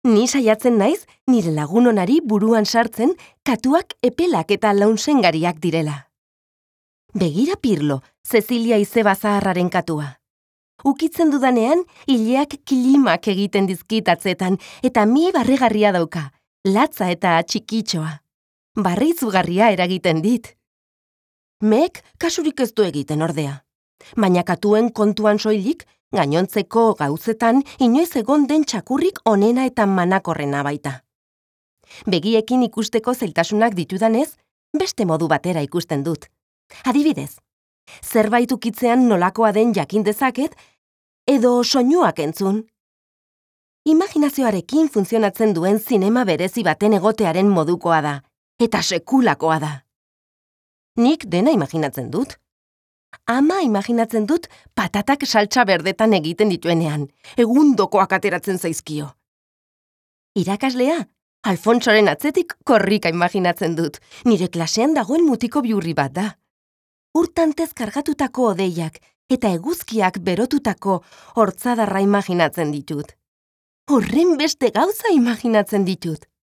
Ni saiatzen naiz nire lagun onari buruan sartzen katuak epelak eta launsengariak direla. Begira Pirlo, Cecilia izeba zaharraren katua. Ukitzen dudanean, ileak kilimak egiten dizkit atzetan eta mi barregarria dauka, latza eta txikitxoa. Barre izugarria eragiten dit. Mek kasurik ez du egiten ordea. Baina katuen kontuan soilik, gainontzeko gauzetan inoiz egon den txakurrik onena eta manakorrena baita. Begiekin ikusteko zailtasunak ditudanez, beste modu batera ikusten dut. Adibidez, zerbait ukitzean nolakoa den jakin dezaket, edo soinuak entzun. Imaginazioarekin funtzionatzen duen zinema berezi baten egotearen modukoa da, eta sekulakoa da. Nik dena imaginatzen dut. Ama imaginatzen dut patatak saltsa berdetan egiten dituenean, egundokoak ateratzen zaizkio. Irakaslea, Alfonsoren atzetik korrika imaginatzen dut, nire klasean dagoen mutiko bihurri bat da. Urtantez kargatutako odeiak eta eguzkiak berotutako hortzadarra imaginatzen ditut. Horren beste gauza imaginatzen ditut.